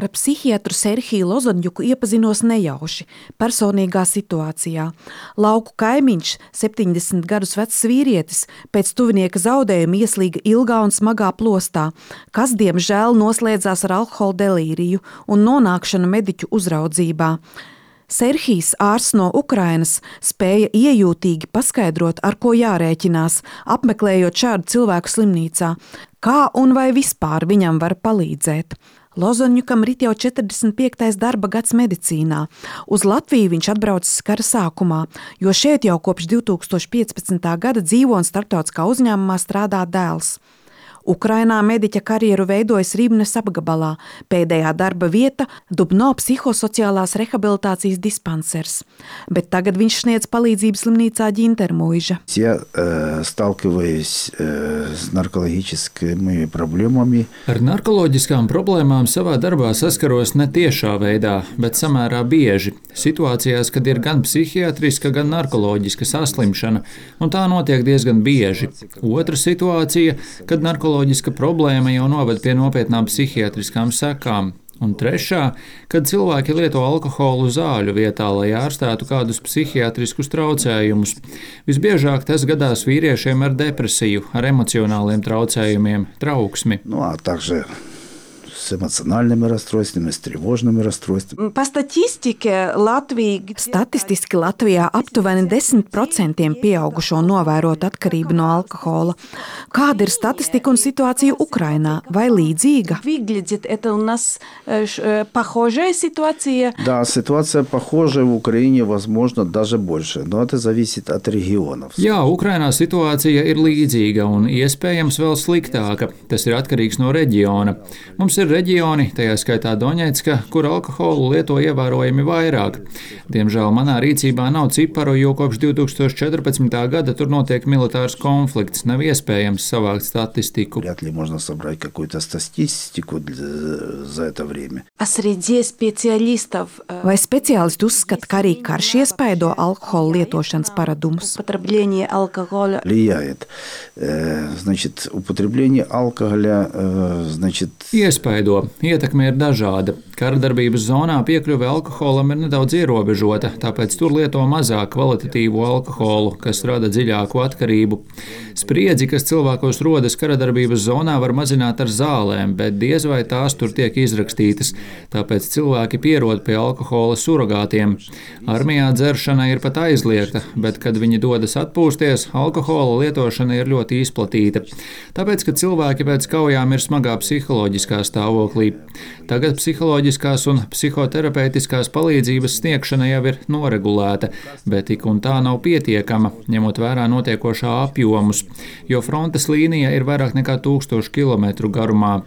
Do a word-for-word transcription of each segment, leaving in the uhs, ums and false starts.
Ar psihiatru Serhiju Lozanjuku iepazinos nejauši, personīgā situācijā. Lauku kaimiņš, septiņdesmit gadus vecs vīrietis, pēc tuvinieka zaudējuma ieslīga ilgā un smagā plostā, kas, diemžēl, noslēdzās ar alkohola delīriju un nonākšanu mediķu uzraudzībā. Serhijs, ārsts no Ukrainas, spēja iejūtīgi paskaidrot, ar ko jārēķinās, apmeklējot šādu cilvēku slimnīcā, kā un vai vispār viņam var palīdzēt. Lozanjukam rit jau četrdesmit piektais darba gads medicīnā. Uz Latviju viņš atbraucis kara sākumā, jo šeit jau kopš divtūkstoš piecpadsmitā gada dzīvo un starptautiskā uzņēmumā strādā dēls. Ukrainā mediķa karjeru veidojas Rībnes apgabalā, pēdējā darba vieta Dubno psihosociālās rehabilitācijas dispansers, bet tagad viņš sniedz palīdzību slimnīcā Ģintermuiža. Я э, сталкиваюсь э, с наркологическими проблемами. Ar narkoloģiskām problēmām savā darbā saskaros ne tiešā veidā, bet samērā bieži. Situācijās, kad ir gan psihiatriska, gan narkoloģiska saslimšana, un tā notiek diezgan bieži. Otra situācija, kad narkoloģiska Psiholoģiska problēma jau noved pie nopietnām psihiatriskām sekām. Un trešā, kad cilvēki lieto alkoholu zāļu vietā, lai ārstētu kādus psihiatriskus traucējumus. Visbiežāk tas gadās vīriešiem ar depresiju, ar emocionāliem traucējumiem, trauksmi. Nu, а также с эмоциональными расстройствами, с тревожными расстройствами. Pa statistike Latvija... Statistiski Latvijā aptuveni desmit procenti pieaugušo novērot atkarību no alkohola. Kāda ir statistika un situācija Ukrainā? Vai līdzīga? Выглядит это у нас похожая ситуация. Да, ситуация похожая в Украине, возможно, даже больше, но это зависит от регионов. Jā, Ukrainā situācija ir līdzīga un iespējams vēl sliktāka. Tas ir atkarīgs no reģiona. Mums ir reģioni, tajā skaitā Doņetska, kur alkoholu lieto ievērojami vairāk. Diemžēl manā rīcībā nav ciparu, jo kopš divtūkstoš četrpadsmitā gada tur notiek militārs konflikts. Nav iespējams savākt statistiku. Вряд ли можно собрать какую-то статистику за это время. А среди специалистов... Vai speciālisti uzskata, ka arī karš iespaido alkohola lietošanas paradumus? Употребление алкоголя Влияет. Значит, употребление алкоголя, значит... Iespaido. Ietekme ir dažāda. Karadarbības zonā piekļuve alkoholam ir nedaudz ierobežota, tāpēc tur lieto mazāk kvalitatīvu alkoholu, kas rada dziļāku atkarību. Spriedzi, kas cilvēkos rodas karadarbības zonā, var mazināt ar zālēm, bet diez vai tās tur tiek izrakstītas, tāpēc cilvēki pierod pie alkohola surogātiem. Armijā dzeršana ir pat aizliegta, bet, kad viņi dodas atpūsties, alkohola lietošana ir ļoti izplatīta. Tāpēc, ka cilvēki pēc kaujām ir smagā psiholoģiskā stāvoklī. Tagad psiholoģiskās un psihoterapeitiskās palīdzības sniegšana jau ir noregulēta, bet tik un tā nav pietiekama, ņemot vērā notiekošā apjomus, jo frontes līnija ir vairāk nekā tūkstošu kilometru garumā.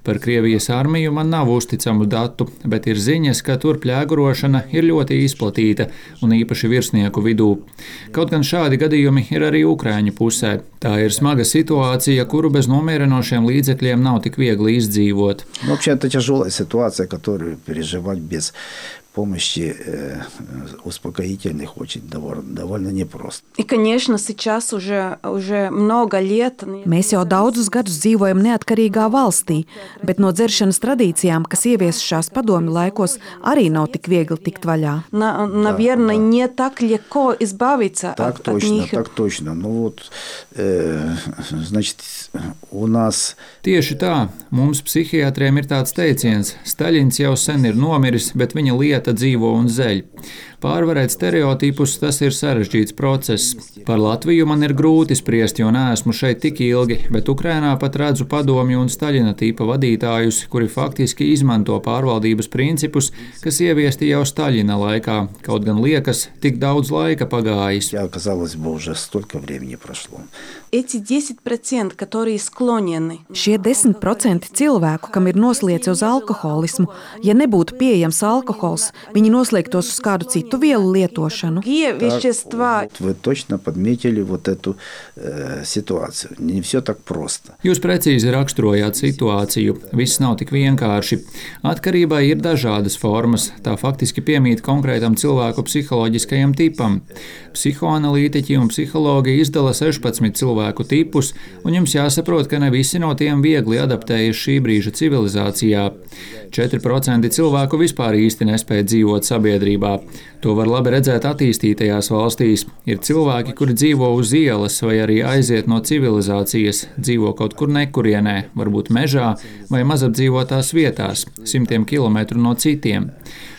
Par Krievijas armiju man nav uzticamu datu, bet ir ziņas, ka tur pļēgurošana ir ļoti izplatīta un īpaši virsnieku vidū. Kaut gan šādi gadījumi ir arī Ukraiņu pusē. Tā ir smaga situācija, kuru bez nomierinošiem līdzekļiem nav tik viegli izdzīvot. Ну, вообще, это тяжелая ситуация, которую переживать без помощи э, успокоительных очень довольно непросто. И, конечно, сейчас уже, уже много лет... Mēs jau daudzus gadus dzīvojam neatkarīgā valstī, bet no dzeršanas tradīcijām, kas ieviesušās padomju laikos, arī nav tik viegli tikt vaļā. На, наверное, да, да. Не так легко избавиться так от, точно, от них. Так точно. Ну вот, э, значит, у нас... Tieši tā, mums psihiatriem ir tāds teiciens, Staļins jau sen ir nomiris, bet viņa lieta dzīvo un zeļ. Pārvarēt stereotipus, tas ir sarežģīts process. Par Latviju man ir grūti spriest, jo neesmu šeit tik ilgi, bet Ukrainā pat redzu padomju un Staļina tīpa vadītājus, kuri faktiski izmanto pārvaldības principus, kas ieviesti jau Staļina laikā, kaut gan liekas, tik daudz laika pagājis. Jā, казалось бы, уже столько времени прошло. Эти десять процентов, которые склонены. Šie desmit procenti cilvēku, kam ir noslieci uz alkoholismu, ja nebūtu pieejams alkohols, viņi noslēgtos uz kādu citu citu vielu lietošanu. Вещества. Вы точно подметили вот эту э, ситуацию. Не все так просто. Jūs precīzi raksturojāt situāciju. Viss nav tik vienkārši. Atkarībai ir dažādas formas. Tā faktiski piemīt konkrētam cilvēku psiholoģiskajam tipam. Psihoanalītiķi un psihologi izdala sešpadsmit cilvēku tipus, un jums jāsaprot, ka ne visi no tiem viegli adaptējas šī brīža civilizācijā. četri procenti cilvēku vispār īsti nespēja dzīvot sabiedrībā. To var labi redzēt attīstītajās valstīs. Ir cilvēki, kuri dzīvo uz ielas vai arī aiziet no civilizācijas, dzīvo kaut kur nekurienē, varbūt mežā vai mazapdzīvotās vietās, simtiem kilometru no citiem.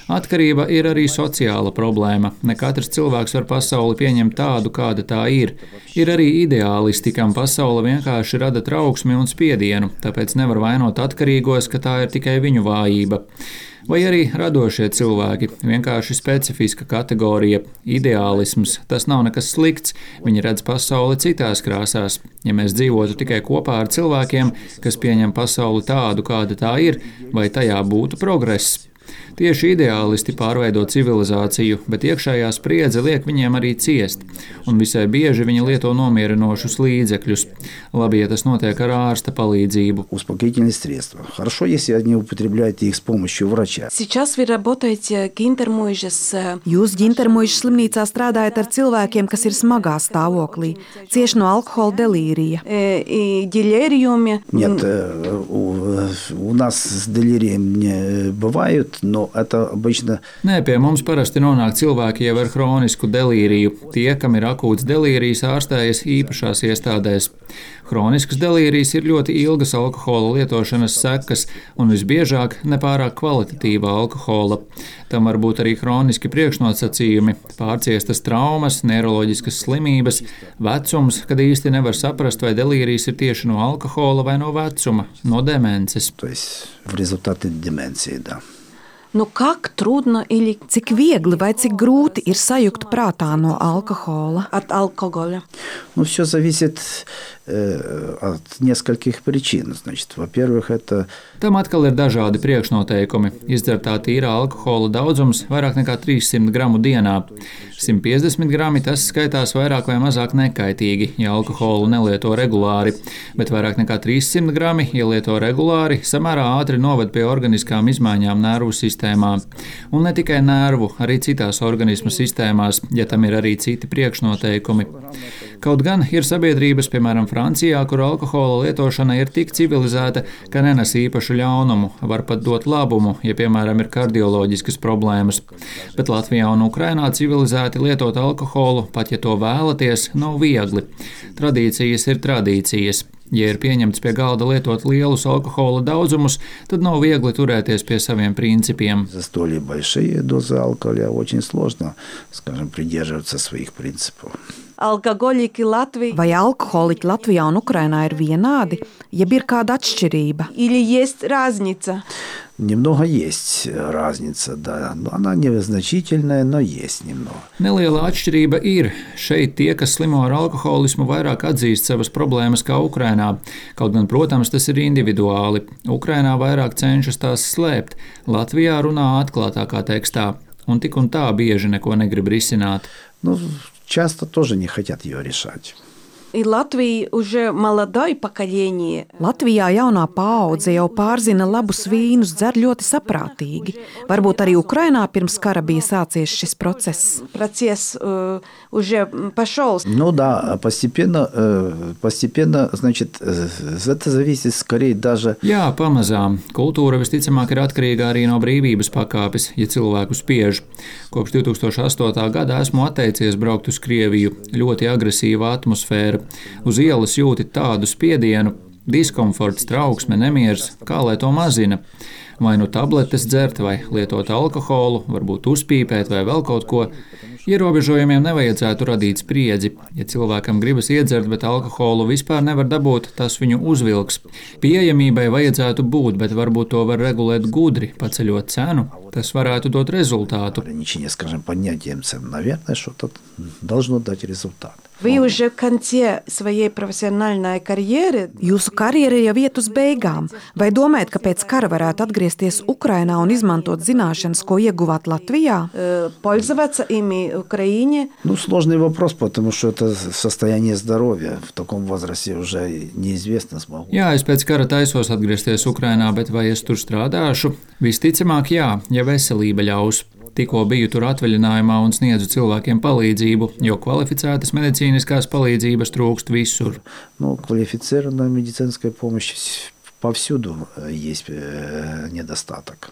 Atkarība ir arī sociāla problēma. Ne katrs cilvēks var pasauli pieņemt tādu, kāda tā ir. Ir arī ideālisti, kam pasaule vienkārši rada trauksmi un spiedienu, tāpēc nevar vainot atkarīgos, ka tā ir tikai viņu vājība. Vai arī radošie cilvēki, vienkārši specifiska kategorija, ideālisms, tas nav nekas slikts, viņi redz pasauli citās krāsās. Ja mēs dzīvotu tikai kopā ar cilvēkiem, kas pieņem pasauli tādu, kāda tā ir, vai tajā būtu progress? Tieši ideālisti pārveido civilizāciju, bet iekšējā spriedze liek viņiem arī ciest, un visai bieži viņi lieto nomierinošus līdzekļus. Labi, ja tas notiek ar ārsta palīdzību. Успокоительные средства. Хорошо, если они употребляют их с помощью врача. Сейчас вы работаете Gintermuižas Jūs Gintermuižas slimnīcā strādājat ar cilvēkiem, kas ir smagā stāvoklī, cieši no alkohola delīrija. и делириуме. Нет, э, у, у нас с делирием не бывают, но это обычно... Nē, pie mums parasti nonāk cilvēki jau ar hronisku delīriju. Tie, kam ir akūts delīrijs, ārstējas īpašās iestādēs. Hronisks delīrijs ir ļoti ilgas alkohola lietošanas sekas un visbiežāk nepārāk kvalitatīva alkohola. Tam var būt arī hroniski priekšnosacījumi, pārciestas traumas, neiroloģiskas slimības, vecums, kad īsti nevar saprast, vai delīrijs ir tieši no alkohola vai no vecuma, no demences. То есть в результате деменции, да. Ну как трудно или Cik viegli vai cik grūti ir sajukt prātā no alkohola? от алкоголя? Ну, все зависит э, от нескольких причин. Значит, во-первых, это... Tam atkal ir dažādi priekšnoteikumi. Izdzertā tīrā alkohola daudzums vairāk nekā trīssimt gramu dienā. simt piecdesmit grami tas skaitās vairāk vai mazāk nekaitīgi, ja alkoholu nelieto regulāri, bet vairāk nekā trīssimt grami, ja lieto regulāri, samērā ātri noved pie organiskām izmaiņām nervu sistēmā. Un ne tikai nervu, arī citās organismu sistēmās, ja tam ir arī citi priekšnoteikumi. Kaut gan ir sabiedrības, piemēram, Francijā, kur alkohola lietošana ir tik civilizēta, ka nenes īpašu ļaunumu, var pat dot labumu, ja, piemēram, ir kardioloģiskas problēmas. Bet Latvijā un Ukrainā civilizēti lietot alkoholu, pat ja to vēlaties, nav viegli. Tradīcijas ir tradīcijas. Ja ir pieņemts pie galda lietot lielus alkohola daudzumus, tad nav viegli turēties pie saviem principiem. За столь большие дозы алкоголя очень сложно, скажем, придерживаться своих принципов. Алкоголики Латвии Vai alkoholiķi Latvijā un Ukrainā ir vienādi, jeb ir kāda atšķirība? или есть разница? Немного есть разница, да, но она незначительная, но есть немного. Neliela atšķirība ir. Šeit tie, kas slimo ar alkoholismu, vairāk atzīst savas problēmas kā Ukrainā. Kaut gan, protams, tas ir individuāli. Ukrainā vairāk cenšas tās slēpt. Latvijā runā atklātākā tekstā. Un tik un tā bieži neko negrib risināt. Ну, часто тоже не хотят ее решать. И Латвии уже молодое поколение. Latvijā jaunā paudze jau pārzina labus vīnus, dzer ļoti saprātīgi. Varbūt arī Ukrainā pirms kara bija sācies šis process. Процесс э, уже пошел. Ну да, постепенно, э, постепенно, значит, э, это зависит скорее даже... Jā, pamazām. Kultūra visticamāk ir atkarīga arī no brīvības pakāpes, ja cilvēku spiež. Kopš divi tūkstoši astotā gada esmu atteicies braukt uz Krieviju. Ļoti agresīva atmosfēra. Uz ielas jūti tādu spiedienu, diskomforts, trauksme, nemieris, kā lai to mazina. Vai nu tabletes dzert, vai lietot alkoholu, varbūt uzpīpēt vai vēl kaut ko. Ierobežojumiem nevajadzētu radīt spriedzi. Ja cilvēkam gribas iedzert, bet alkoholu vispār nevar dabūt, tas viņu uzvilks. Pieejamībai vajadzētu būt, bet varbūt to var regulēt gudri, paceļot cenu. Tas varētu dot rezultātu. Ограничение, скажем, поднятием цен, наверное, что-то должно дать результат. Вы уже в конце своей профессиональной карьеры Jūsu karjera jau iet uz beigām. Vai domājat, ka pēc kara varētu atgriezties Ukrainā un izmantot zināšanas, ko ieguvāt Latvijā? э, пользоваться ими в Украине? Ну, сложный вопрос, потому что это состояние здоровья. В таком возрасте уже неизвестно, смогу. Jā, es pēc kara taisos atgriezties Ukrainā, bet vai es tur strādāšu? Visticamāk, jā, ja veselība ļaus. Tikko biju tur atvaļinājumā un sniedzu cilvēkiem palīdzību, jo kvalificētas medicīniskās palīdzības trūkst visur. Ну, квалифицированная медицинская помощь повсюду есть недостаток.